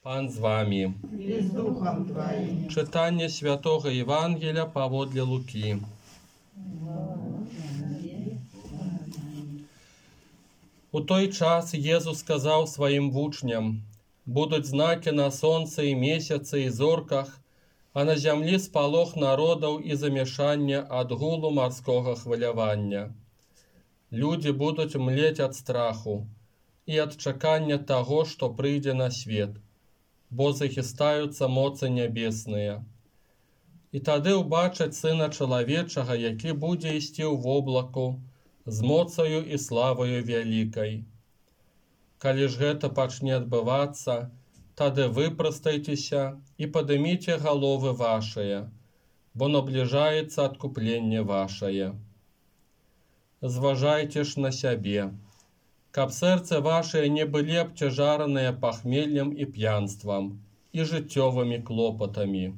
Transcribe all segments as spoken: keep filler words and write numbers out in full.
Пан з вами. І з Духом Твоїм. Читання Святого Євангелія паводле Луки. У той час Єзус сказав своїм вучням: «Будуть знаки на сонце і місяці і зорках, а на землі сполох народів і замішання ад гулу морського хвилювання. Люди будуть млеть від страху і від чекання того, що прийде на світ, бо захистаються моці небесные. І тоді убачать Сина Чоловічого, який буде йти в облаку, з моцею і славою великой. Коли ж гэта пачне адбывацца, тады выпрастайтеся і падыміце головы вашыя, бо наближаецца адкупленне вашае. Зважайце ж на сябе, каб сэрцы вашыя не былі абцяжараныя пахмеллем і п'янствам, і жыццёвымі клопатамі,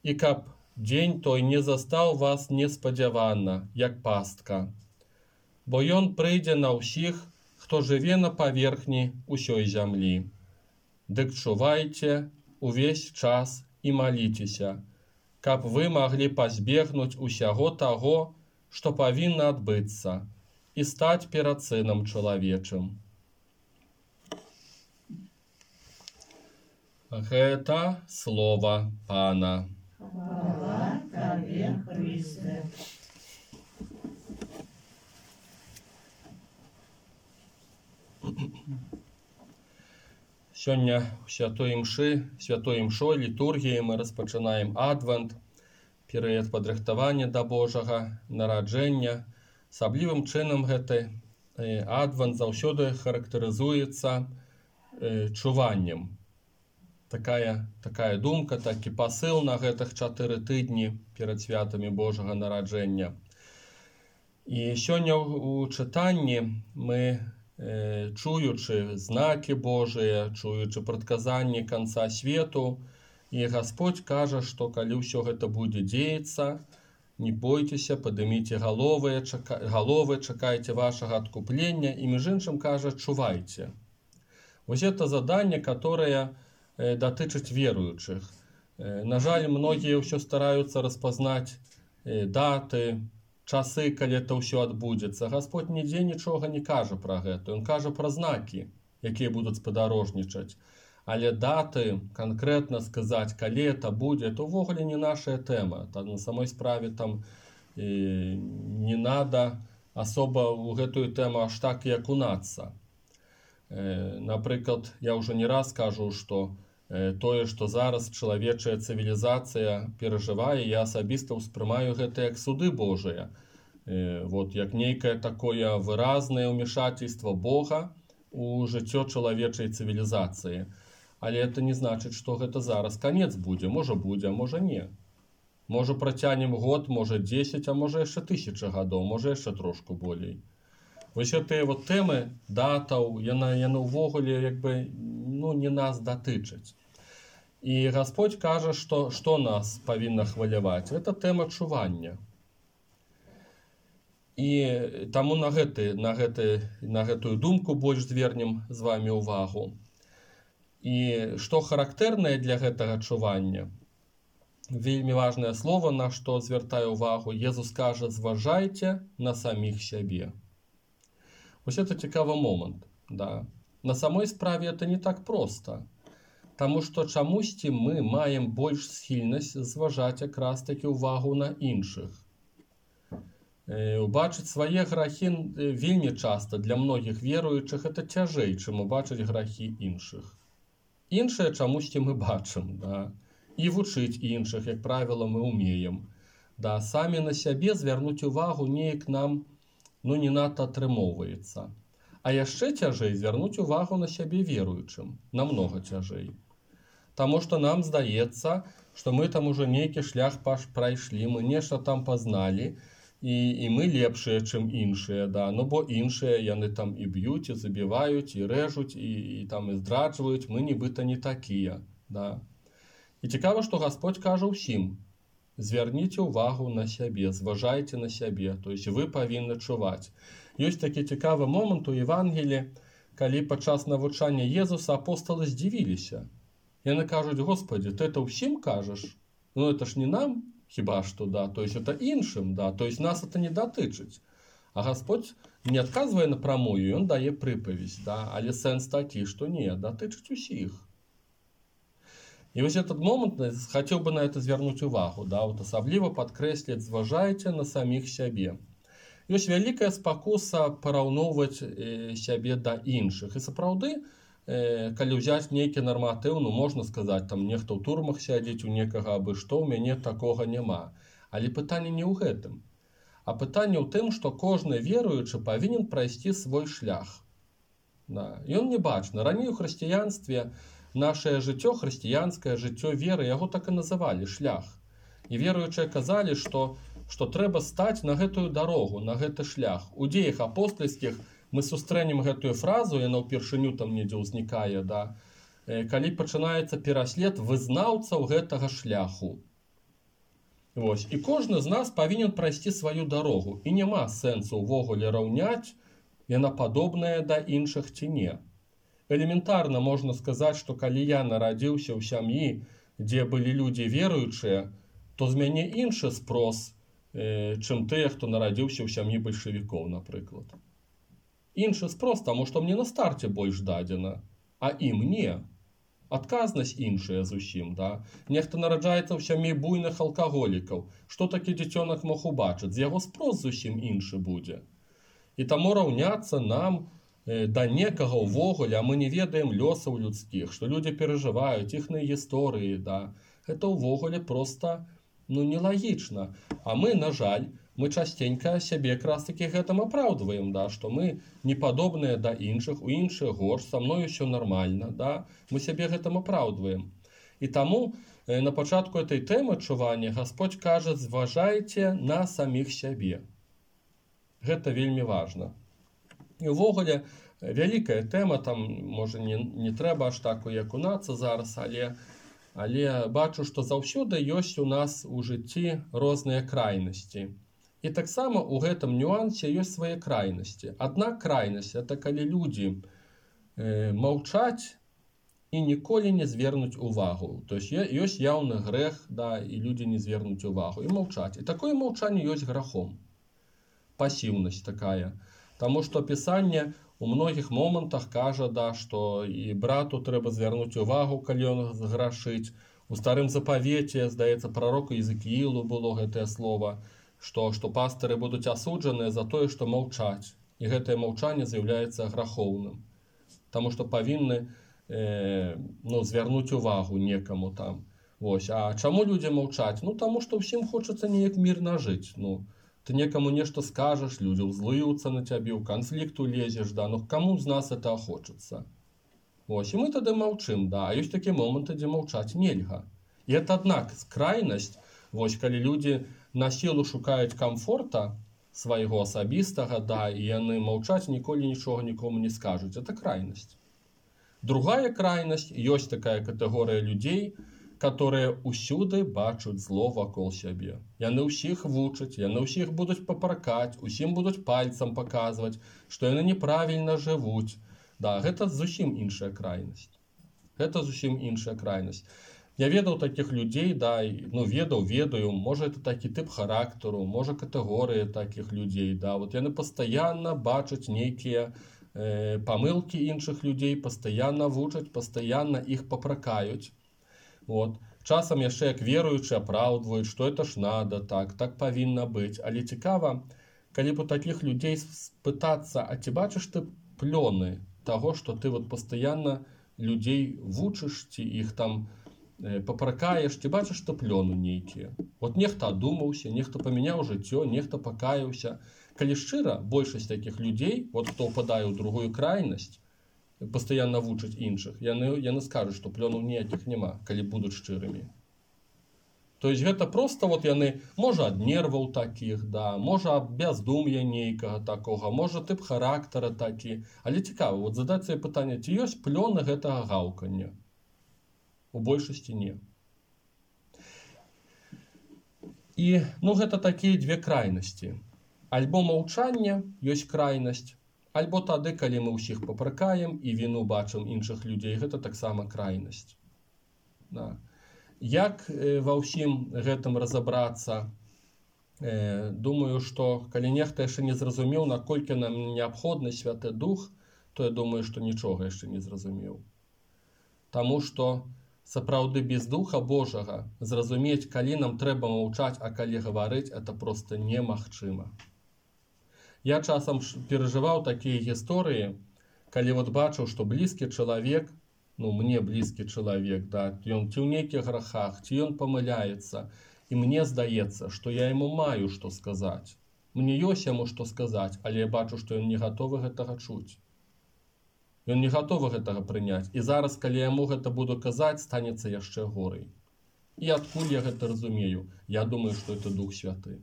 і каб дзень той не застаў вас неспадзявана, як пастка. Бо ён прыйдзе на ўсіх, хто жыве на паверхні ўсёй зямлі. Дык чувайце увесь час і маліцеся, каб вы маглі пазбегнуць усяго таго, што павінна адбыцца, і стаць перад Сынам Чалавечым». Гэта слова Пана. Хвала Табе, Христе. Сёння ў святой імшы, святой імшой, літургіі мы распачынаем адвент, перыяд падрыхтавання да Божага нараджэння. Асаблівым чынам гэты адвент заўсёды характарызуецца чуваннем. Такая, такая думка, такі пасыл на гэтых чатыры тыдні перад святамі Божага нараджэння. І сёння ў чытанні мы, чуючы знакі Божыя, чуючы прадказанні канца свету, і Гасподзь кажа, што калі ўсё гэта будзе дзеяцца, не бойцеся, падыміце галовы, чака... галовы, чакайце вашага адкуплення, і між іншым кажа, чувайце. Вось гэта заданне, которое датычыць веруючых. На жаль, многія ўсё стараюцца распазнаць даты, часы, калі это ўсё адбудзецца. Гасподь нідзе нічога не кажа пра гэта. Ён кажа пра знакі, якія будуць спадарожнічаць. Але даты, канкрэтна сказаць, калі это будзе, это ўвогуле не наша тэма. Там, на самой справе там э, не надо асоба ў гэтую тэму аж так і акунацца. Э, напрыклад, я ўжо не раз кажу, што э, тое, што зараз чалавечая цывілізацыя перажывае, я асабіста ўспрымаю гэта як суды Божыя. Э, вот, як нейкае такое выразнае ўмешательство Бога у жыццё чалавечай цывілізацыі. Але это не значыць, што гэта зараз канец будзе. Можа будзе, а можа не. Можа працянем год, можа дзесяць, а можа яшчэ тысяча гадоў, можа яшчэ трошку болей. Вось гэтыя вот тэмы датаў, яна, яна ўвогуле як бы, ну, не нас датычаць. І Гасподь кажа, што, што нас павінна хваляваць. Гэта тэма чування. І таму на, гэты, на, гэты, на гэтую думку больш звернем з вами ўвагу. І што характэрнае для гэтага чування, вельмі важнае слово, на што звяртаю ўвагу, Езус кажа, зважайце на саміх сябе. Вось это цікавы момант. Да. На самой справе это не так проста, таму што чамусьці мы маем больш схільнасць зважаць якраз такі ўвагу на іншых. Убачыць свае грахі вельмі часта для многіх веруючых это цяжэй, чым убачыць грахі іншых. Іншае чамусьці мы бачым, да? І вучыць іншых, як правіла, мы умеем. Да? Самі на сябе звярнуць увагу неяк нам, ну, не надта атрымоўваецца. А яшчэ цяжэй звярнуць увагу на сябе веруючым, намнога цяжэй. Таму што нам здаецца, што мы там ужо нейкі шлях прайшлі, мы нешта там пазналі, і, і мы лепшыя, чым іншыя, да? Ну, бо іншыя яны там і б'юць, і забіваюць, і рэжуць, і, і там і здраджваюць, мы нібыта не такія. Да? І цікава, што Гасподь кажа ўсім: звярніце ўвагу на сябе, зважайце на сябе, то есть вы павінны чуваць. Ёсць такі цікавы момант у Евангелі, калі падчас навучання Езуса апосталы здзівіліся. Яны кажуць: Господи, ты это ўсім кажаш? Ну это ж не нам, хіба што, да, то есть это іншым, да, то есть нас это не датычыць. А Господь не адказвае напрамую, ён дае прыпавязь, да, але сэнс такі, што не, датычыць усіх. І вось этот момант хацеў бы на это звярнуць увагу, да, вот асабліва падкрэсліць: зважайце на саміх сябе. Ёсць вялікая спакуса параўноўваць э, сябе да іншых. І сапраўды, э, калі ўзяць нейкі нарматыў, ну можна сказаць, там нехта ў турмах сядзіць, у некага абы што, у мяне такога няма. Але пытанне не ў гэтым. А пытанне ў тым, што кожны веруючы павінен прайсці свой шлях. Да. Ён не бачны. Раней у хрысціянстве нашае жыццё, хрысціянскае жыццё веры, яго так і называлі шлях. І веруючыя казалі, што, што трэба стаць на гэтую дарогу, на гэты шлях. У дзеях апостальскіх мы сустрэнем гэтую фразу, яна ўпершыню там недзе ўзнікае, да, калі пачынаецца пераслед вызнаўцаў гэтага шляху. Вось. І кожны з нас павінен прайсці сваю дарогу. І няма сэнсу ўвогуле раўняць, яна падобная да іншых ці не. Элементарна можна сказаць, што калі я нарадзіўся ў сям'і, дзе былі людзі веруючыя, то з мяне іншы спрос, э, чым тыя, хто нарадзіўся ў сям'і бальшавікоў, напрыклад. Іншы спрос, таму што мне на старце больш дадзена, а ім не. Адказнасць іншая зусім, да. Нехта нараджаецца ў сям'і буйных алкаголікаў. Што такі дзіцёнак мог убачыць? З яго спрос зусім іншы будзе. І таму раўняцца нам да некага ўвогуле, а мы не ведаем лёсаў людскіх, што людзі перажываюць, іхныя гісторыі, да. Гэта ўвогуле проста, ну, нелагічна. А мы, на жаль, мы частенька сябе якраз такі гэтым апраўдваем, да, што мы не падобныя да іншых, у іншых горш, са мной усё нармальна, да. Мы сябе гэтым апраўдваем. І таму э, на пачатку этой тэмы адчування Гасподзь кажа: зважайце на саміх сябе. Гэта вельмі важна. І ўвогуле вялікая тэма, там можа не, не трэба аж так уякунацца зараз, але, але бачу, што заўсёды ёсць у нас у жыцці розныя крайнасці. І таксама у гэтым нюансе ёсць свае крайнасці. Адна крайнасць — это калі людзі э, маўчаць і ніколі не звернуць увагу. То есть ёсць яўны грэх, да, і людзі не звернуць увагу і маўчаць. І такое маўчанне ёсць грахом. Пасіўнасць такая. Таму што Пісанне у многіх момантах кажа, да, што і брату трэба звярнуць увагу, калі ён зграшыць. У Старым Запавеце, здаецца, прароку Езекіілу было гэтае слова, што, што пастыры будуць асуджаныя за тое, што маўчаць. І гэтае маўчанне з'яўляецца грахоўным. Таму што павінны э, ну, звярнуць увагу некаму там. Вось. А чаму людзі маўчаць? Ну, таму што ўсім хочацца неяк мірна жыць. Ну, ты некаму нешта скажаш, людзі ўзлыюцца на цябе, ў канфлікт улезеш, да, ну каму з нас это хочацца? Вось, і мы тады маўчым, да, а ёсць такія моманты, дзе маўчаць нельга. І это аднак крайнасць, вось, калі людзі на сілу шукаюць камфорта свайго асабістага, да, і яны маўчаць, ніколі нічога нікому не скажуць, это крайнасць. Другая крайнасць, ёсць такая катэгорыя людзей, которые ўсюды бачуць зло вакол сябе. Яны ўсіх вучаць, яны ўсіх будуць папракаць, усім будуць пальцам паказваць, што яны неправільна жывуць. Да, гэта зусім іншая крайнасць. Гэта зусім іншая крайнасць. Я ведаў такіх людзей, да, ну ведаў, ведаю, можа это такі тып характару, можа катэгорыя такіх людзей, да, вот яны пастаянна бачаць нейкія э, памылкі іншых людзей, пастаянна вучаць, пастаянна іх папракаюць. Вот. Часам яшчэ як веруючы апраўдваюць, што это ж надо, так, так павінна быць. Але цікава, калі б у такіх людзей спытацца: а ці бачыш ты плёны таго, што ты вот пастаянна людзей вучыш, ці іх там э, папракаеш, ці бачыш ты плёны нейкія? Вот нехта адумаўся, нехта памяняў жыццё, нехта пакаяўся. Калі шчыра, большасць такіх людзей, вот хто ўпадае ў другую крайнасць, пастаянна вучаць іншых, яны, яны скажуць, што плёнаў ніякіх няма, калі будуць шчырымі. То есть гэта проста вот яны, можа ад нерваў такіх, да, можа ад бяздум'я нейкага такога, можа тып характара такі. Але цікава, вот задаць сабе пытанне, ці ёсць плёны гэтага гаўкання? У большасці не. І, ну, гэта такія дзве крайнасці. Альбо маўчанне ёсць крайнасць, альбо тады, калі мы ўсіх папракаем і віну бачым іншых людзей, гэта таксама крайнасць. Да. Як ва ўсім гэтым разабрацца? Думаю, што калі нехта яшчэ не зразумеў, наколькі нам неабходны Святы Дух, то я думаю, што нічога яшчэ не зразумеў. Таму што сапраўды без Духа Божага зразумець, калі нам трэба маўчаць, а калі гаварыць, это проста немагчыма. Я часам перажываў такія гісторыі, калі вот бачыў, што блізкі чалавек, ну мне блізкі чалавек, да, ён ці ў нейкіх грахах, ці ён памыляецца, і мне здаецца, што я яму маю што сказаць. Мне ёсць яму што сказаць, але я бачу, што ён не гатовы гэтага чуць. Ён не гатовы гэтага прыняць. І зараз, калі яму гэта буду казаць, станецца яшчэ горай. І адкуль я гэта разумею? Я думаю, што это Дух Святы.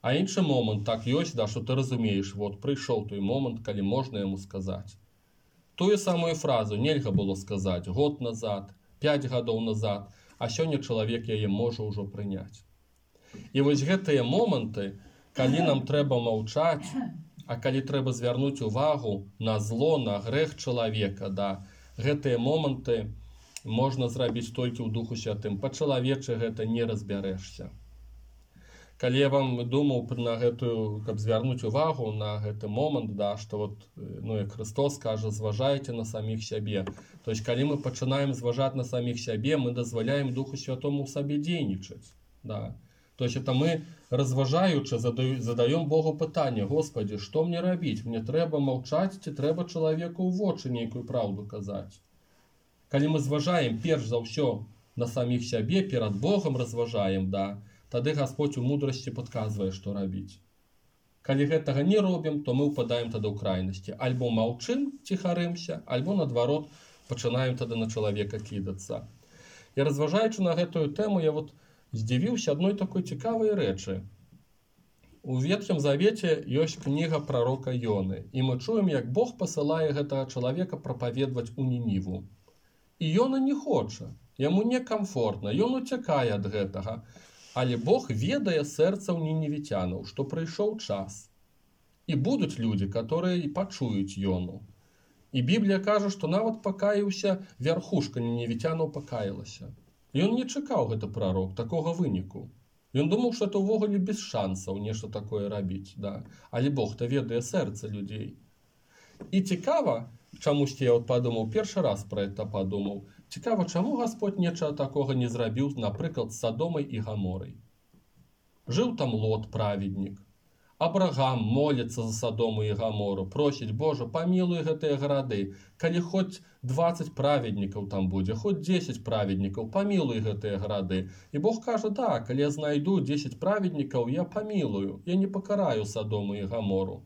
А іншы момант так ёсць, да, што ты разумееш, вот прыйшоў той момант, калі можна яму сказаць. Тую самую фразу нельга было сказаць год назад, пяць гадоў назад, а сёння чалавек яе можа ўжо прыняць. І вось гэтыя моманты, калі нам трэба маўчаць, а калі трэба звярнуць увагу на зло, на грэх чалавека, да, гэтыя моманты можна зрабіць толькі ў Духу Святым. Па-чалавечы гэта не разбярэшся. Калі я вам думаў на гэтую, каб звярнуць увагу на гэты момант, да, што вот, ну, як Христос кажа, зважайце на саміх сябе. То есть, калі мы пачынаем зважаць на саміх сябе, мы дазваляем Духу Святому ў сабе дзейнічаць. Да. То есть, это мы, разважаючы, задаем Богу пытанне: Господи, што мне рабіць? Мне трэба маўчаць, ці трэба чалавеку ў вочы нейкую праўду казаць? Калі мы зважаем перш за ўсё на саміх сябе, перад Богом разважаем, да, тады Господь у мудрасці падказвае, што рабіць. Калі гэтага не робім, то мы ўпадаем тады ў крайнасці. Альбо маўчым, ціхарымся, альбо, наадварот, пачынаем тады на чалавека кідацца. І разважаючы на гэтую тэму, я вот здзівіўся адной такой цікавай рэчы. У Ветхім Завеце ёсць кніга прарока Ёны, і мы чуем, як Бог пасылае гэтага чалавека прапаведваць у Нініву. І Ёна не хоча, яму некамфортна, ён уцякае ад гэтага. Але Бог ведае сэрцаў ніневіцянаў, што прыйшоў час. І будуць людзі, которые пачуюць Ёну. І Біблія кажа, што нават пакаяўся, вярхушка ніневіцянаў пакаялася. Ён не чакаў гэта прарок, такога выніку. Ён думаў, што это ўвогуле без шансаў нешта такое рабіць. Да. Але Бог-то ведае сэрца людзей. І цікава, чамусьці я вот падумаў, першы раз пра гэта падумаў, цікава, чаму Господь нечага такога не зрабіў, напрыклад, з Садомай і Гаморай. Жыў там Лот, праведнік. Абрагам моліцца за Садому і Гамору, просіць: Божа, памілуй гэтыя гарады. Калі хоць дваццаць праведнікаў там будзе, хоць дзесяць праведнікаў, памілуй гэтыя гарады. І Бог кажа: да, калі я знайду дзесяць праведнікаў, я памілую, я не пакараю Садому і Гамору.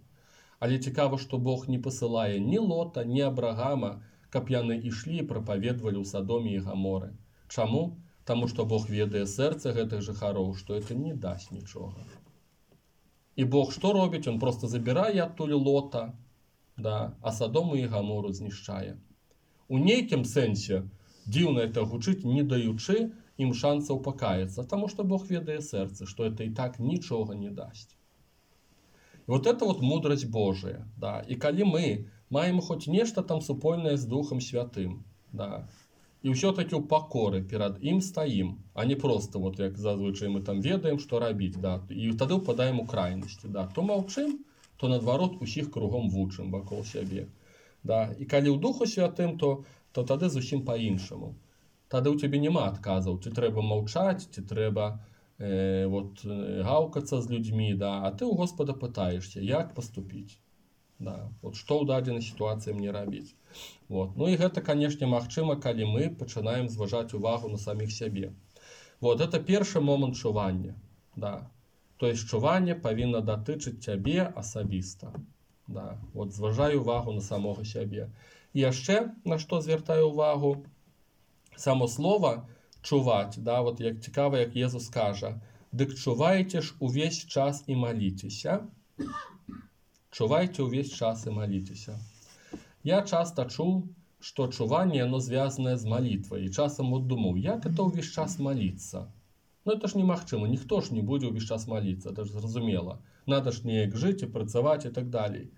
Але цікава, што Бог не пасылае ні Лота, ні Абрагама, каб яны ішлі і прапаведвалі ў Садоме і Гаморы. Чаму? Таму што Бог ведае сэрца гэтых жыхароў, што это не дасць нічога. І Бог што робіць? Он просто забірае адтуль Лота, да, а Садому і Гамору знішчае. У нейкім сэнсе дзіўна это гучыць, не даючы ім шансаў пакаяцца, таму што Бог ведае сэрца, што это і так нічога не дасць. І вот это вот мудрасць Божая, да. І калі мы маем хоць нешта там супольнае з Духам Святым, да, і ўсё-такі ў пакоры перад ім стаім, а не проста, вот як зазвычай мы там ведаем, што рабіць, да, і тады ўпадаем у крайнасці, да. То маўчым, то наадварот усіх кругом вучым вакол сябе. Да. І калі ў Духу Святым, то, то тады зусім па-іншаму. Тады ў цябе няма адказаў, ці трэба маўчаць, ці трэба э, вот, гаўкацца з людзьмі, да, а ты ў Господа пытаешся, як паступіць. Да, вот што ў дадзенай сітуацыі мне рабіць. Вот. Ну і гэта, канешне, магчыма, калі мы пачынаем зважаць увагу на саміх сябе. Вот, это першы момант чування. Да. То есть чуванне павінна датычыць цябе асабіста. Да. Вот, зважай увагу на самога сябе. І яшчэ, на што звяртаю увагу, само слова чуваць, да, вот як цікава, як Езус кажа: «Дык чувайце ж увесь час і маліцеся». Чувайце ўвесь час і маліцеся. Я часта чуў, што чуванне оно звязанае з малітвай. І часам вот думаў, як это ўвесь час маліцца? Ну это ж немагчыма, ніхто ж не будзе ўвесь час маліцца, это ж зразумела. Надо ж неяк жыць і працаваць і так далей.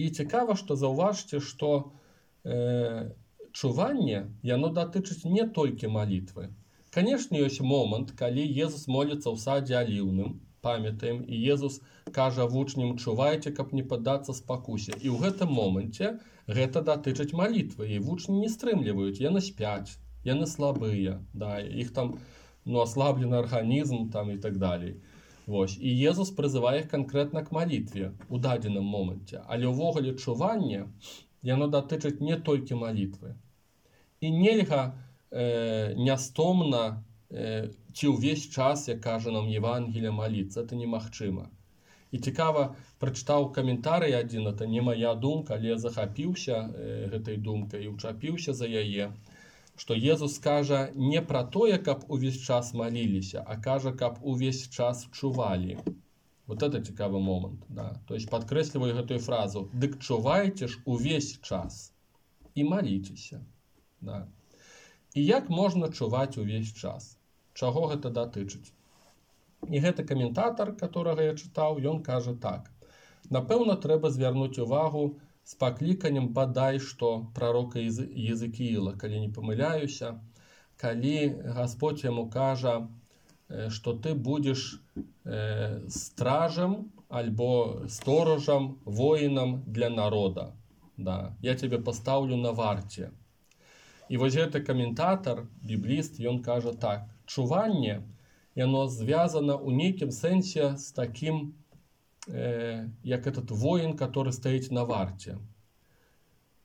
І цікава, што заўважце, што э, чуванне, яно датычыць не толькі малітвы. Канешне, ёсць момант, калі Езус моліцца ў садзе аліўным, памятаем, і Езус кажа вучням: чувайце, каб не паддацца спакусе. І ў гэтым моманце гэта датычыць малітвы, і вучні не стрымліваюць, яны спяць, яны слабыя, да, іх там ну, аслаблены арганізм там і так далей. Вось. І Езус прызывае іх канкрэтна к малітве ў дадзеным моманце. Але ўвогуле чуванне, яно датычыць не толькі малітвы. І нельга э, нястомна э, ці ўвесь час, як кажа нам Евангелие, маліцца. Это немагчыма. І цікава, прачытаў каментарый адзін, это не моя думка, але я захапіўся э, гэтай думкай і ўчапіўся за яе, што Езус кажа не пра тое, каб увесь час маліліся, а кажа, каб увесь час чувалі. Вот это цікавы момант. Да. То есть падкрэсліваю гэтую фразу: дык чувайце ж увесь час і маліцеся. Да. І як можна чуваць увесь час? Чаго гэта датычыць? І гэты каментатар, которого я чытаў, ён кажа так: напэўна, трэба звярнуць увагу з пакліканнем бадай што прарока Езекііла, калі не памыляюся, калі Гасподзь яму кажа, што ты будзеш э, стражам альбо сторожам, воінам для народа. Да. Я тебе пастаўлю на варце. І вось гэты каментатар, бібліст, ён кажа так: чуванне, яно звязана ў нейкім сэнсе з такім, э, як этот воін, который стаіць на варце.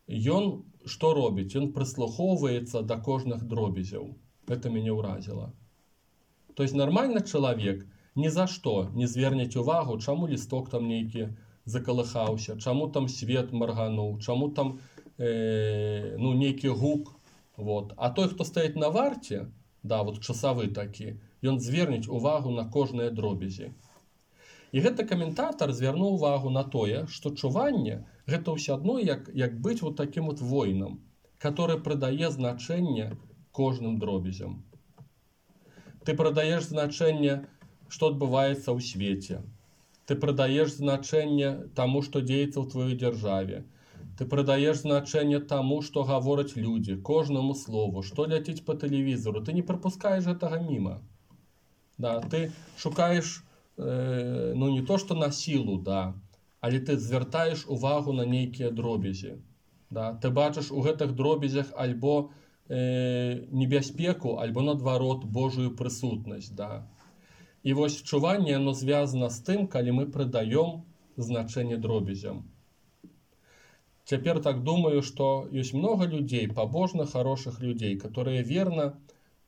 Ён што робіць? Ён прыслухоўваецца да кожных дробязяў. Гэта мяне ўразіла. То есть нормальны чалавек ні за што не звернець увагу, чаму лісток там нейкі закалыхаўся, чаму там свет маргануў, чаму там э, ну, нейкі гук. Вот. А той, хто стаіць на варце, да, вот часавы такі, ён звернець увагу на кожныя дробязі. І гэты каментатар звярнуў увагу на тое, што чуванне гэта ўсё адно, як, як быць вот таким вот воінам, который прыдае значэнне кожным дробязям. Ты прадаеш значэнне, што адбываецца ў свеце. Ты прадаеш значэнне таму, што дзеецца ў тваёй дзяржаве. Ты прадаеш значэнне таму, што гавораць людзі, кожнаму слову, што ляціць па тэлевізору. Ты не прапускаеш гэтага міма. Да, ты шукаеш э, ну не то, што на сілу, да, але ты звяртаеш увагу на нейкія дробязі. Да. Ты бачыш у гэтых дробязях альбо э, небяспеку, альбо наадварот Божую прысутнасць. Да. І вось чуванне, оно звязана з тым, калі мы прыдаём значэнне дробязям. Цяпер так думаю, што ёсць многа людзей, пабожных, хорошых людзей, которые верна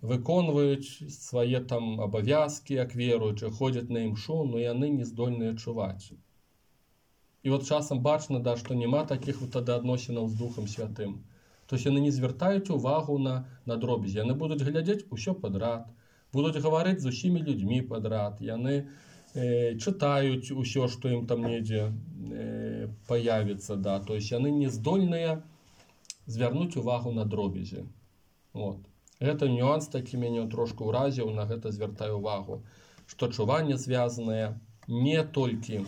выконваюць свае там абавязкі, як веруючы, ходзяць на імшу, но яны не здольныя чуваць. І от часам бачна, да, што няма такіх вот тады адносінаў з Духам Святым. То есть яны не звяртаюць увагу на, на дробязі. Яны будуць глядзець усё падрад, будуць гаварыць з усімі людзьмі падрад, яны э, чытаюць усё, што ім там недзе э, паявіцца. Да. То есть яны не здольныя звярнуць увагу на дробязі. Вот. Гэта нюанс такі мяне трошку ўразіў, на гэта звяртаю увагу, што чуванне звязанае не толькі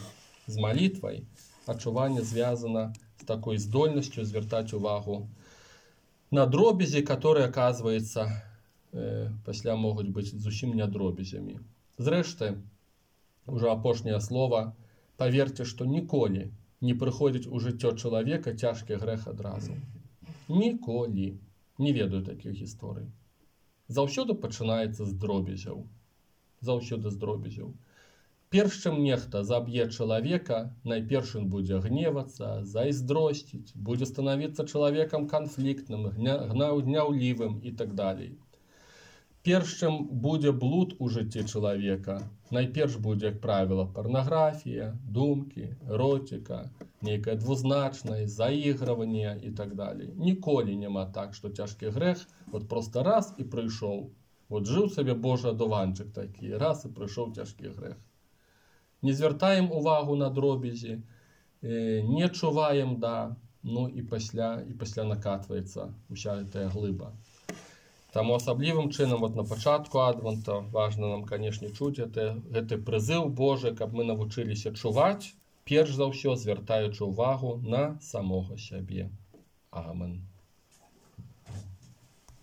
з малітвай, а чуванне звязана з такой здольнасцю звяртаць увагу на дробязі, которые, оказывается, э, пасля могуць быць зусім не дробязямі. Зрэшты, уже апошняе слово, паверце, што ніколі не прыходзіць у жыццё чалавека цяжкі грэх адразу. Ніколі. Не ведаю такіх гісторый. Заўсёды пачынаецца з дробязяў. Заўсёды з дробязяў. Перш чым нехта заб'е чалавека, найперш ён будзе гневацца, зайздросціць, будзе станавіцца чалавекам канфліктным, гняўлівым і так далей. Перш чым будзе блуд у жыцці чалавека, найперш будзе, як правіла, парнаграфія, думкі, эротика, нейкая двузначнасць, заігрыванне і так далей. Ніколі няма так, што цяжкі грэх вот просто раз і прыйшоў. Вот жыў сабе Божы адуванчык такі, раз і прыйшоў цяжкі грэх. Не звяртаем увагу на дробязі, не чуваем, да, ну і пасля, і пасля накатваецца уся гэтая глыба. Таму асаблівым чынам вот на пачатку адвента важна нам, канешне, чуць гэты, гэты прызыў Божы, каб мы навучыліся чуваць, перш за ўсё звяртаючы ўвагу на самога сябе. Амен.